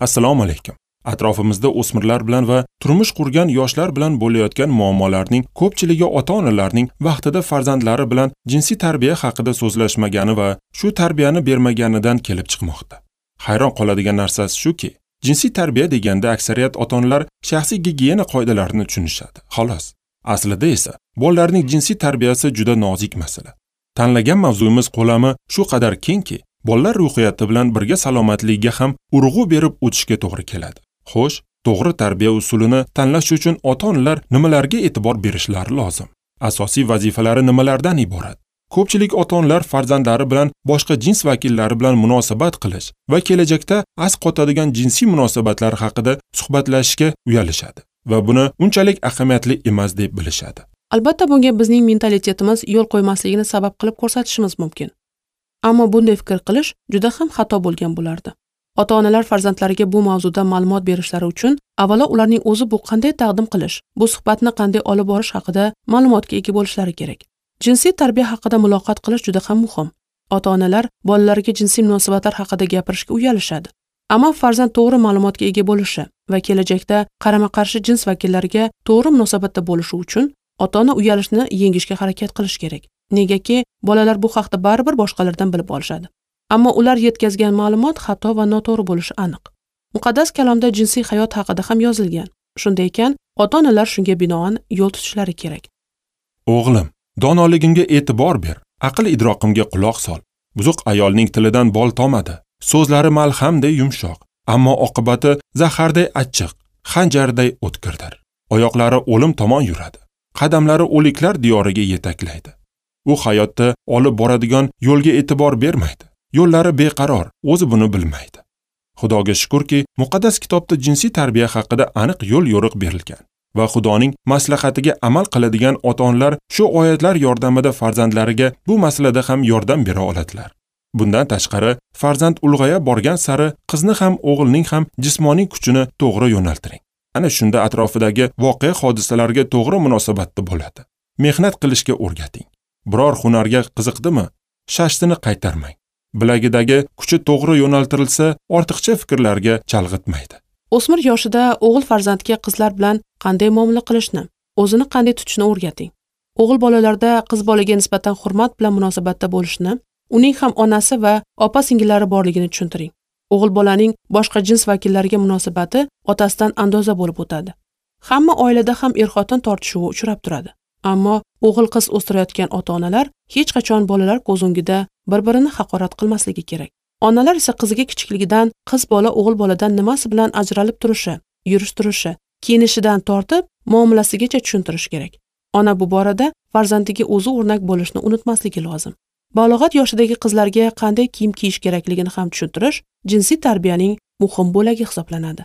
Assalomu alaykum. Atrofimizda o'smirlar bilan va turmush qurgan yoshlar bilan bo'layotgan muammolarning ko'pchiligi ota-onalarning vaqtida farzandlari bilan jinsiy tarbiya haqida so'zlashmagani va shu tarbiyani bermaganidan kelib chiqmoqda. Hayron qoladigan narsasi shuki, jinsiy tarbiya deganda aksariyat ota-onalar shaxsiy gigiyena qoidalarini tushunishadi, xolos. Aslida esa bolalarning jinsiy tarbiyasi juda nozik masala. Tanlagan mavzuyimiz ko'lami shu qadar kengki, bolalar ruhiyati bilan birga salomatligiga ham urg'u berib o'tishga to'g'ri keladi. Xo'sh, to'g'ri tarbiya usulini tanlash uchun ota-onalar nimalarga e'tibor berishlari lozim? Asosiy vazifalari nimalardan iborat? Ko'pchilik ota-onalar farzandlari bilan boshqa jins vakillari bilan munosabat qilish va kelajakda asqotadigan jinsiy munosabatlar haqida suhbatlashishga uyalishadi va buni unchalik ahamiyatli emas deb bilishadi. Albatta bunga bizning mentalitetimiz yo'l qo'ymasligini sabab qilib ko'rsatishimiz mumkin. Ammo bunday fikr qilish juda ham xato bo'lgan bo'lardi. Ota-onalar farzandlariga bu mavzuda ma'lumot berishlari uchun avvalo ularning o'zi bu qanday taqdim qilish, bu suhbatni qanday olib borish haqida ma'lumotga ega bo'lishlari kerak. Jinsiy tarbiya haqida muloqot qilish juda ham muhim. Ota-onalar bolalariga jinsiy munosabatlar haqida gapirishga uyalishadi. Ammo farzand to'g'ri ma'lumotga ega bo'lishi va kelajakda qarama-qarshi jins vakillariga to'g'ri munosabatda bo'lishi uchun ota-ona uyalishni yengishga harakat qilish kerak. Negaki bolalar bu haqda baribir boshqalardan bilib olishadi. Ammo ular yetkazgan ma'lumot xato va noto'g'ri bo'lishi aniq. Muqaddas kalomda jinsiy hayot haqida ham yozilgan. Shunday ekan, ota-onalar shunga binoan yo'l tutishlari kerak. O'g'lim, donoligimga e'tibor ber, aql idroqimga quloq sol. Buzuq ayolning tilidan bol tomadi. So'zlari malhamday yumshoq, ammo oqibati zaharday achchiq, xanjarday o'tkirdir. Oyoqlari o'lim tomon yuradi. Qadamlari o'liklar diyoriga yetaklaydi. U hayotda olib boradigan yo'lga e'tibor bermaydi. Yo'llari beqaror, o'zi buni bilmaydi. Xudoga shukurki, muqaddas kitobda jinsiy tarbiya haqida aniq yo'l-yo'riq berilgan va Xudoning maslahatiga amal qiladigan ota-onalar shu oyatlar yordamida farzandlariga bu masalada ham yordam bera oladilar. Bundan tashqari, farzand ulg'aya borgan sari qizni ham o'g'ilning ham jismoniy kuchini to'g'ri yo'naltiring. Ana shunda atrofidagi voqea hodisalarga to'g'ri munosabatda bo'ladi. Mehnat qilishga o'rgating. Biror hunarga qiziqdimi? Shashtini qaytarmang. Bilagidagi kuchi to'g'ri yo'naltirilsa, ortiqcha fikrlarga chalg'itmaydi. O'smir yoshida o'g'il farzandga qizlar bilan qanday muomala qilishni, o'zini qanday tutishni o'rgating. O'g'il bolalarda qiz bolaga nisbatan hurmat bilan munosabatda bo'lishni, uning ham onasi va opa-singillari borligini tushuntiring. O'g'il bolaning boshqa jins vakillariga munosabati otasidan andoza bo'lib o'tadi. Hamma oilada ham er-xotin tortishuvi uchrab turadi. Ammo o'g'il qiz o'stirayotgan ota-onalar hech qachon bolalar ko'z o'ngida bir-birini haqorat qilmasligi kerak. Onalar esa qiziga kichikligidan qiz bola o'g'il boladan nimasi bilan ajralib turishi, yurish turishi, kiyinishidan tortib muomalasigacha tushuntirish kerak. Ona bu borada farzandiga o'zi o'rnak bo'lishni unutmasligi lozim. Balog'at yoshidagi qizlarga qanday kiyim kiyish kerakligini ham tushuntirish jinsiy tarbiyaning muhim bo'lagi hisoblanadi.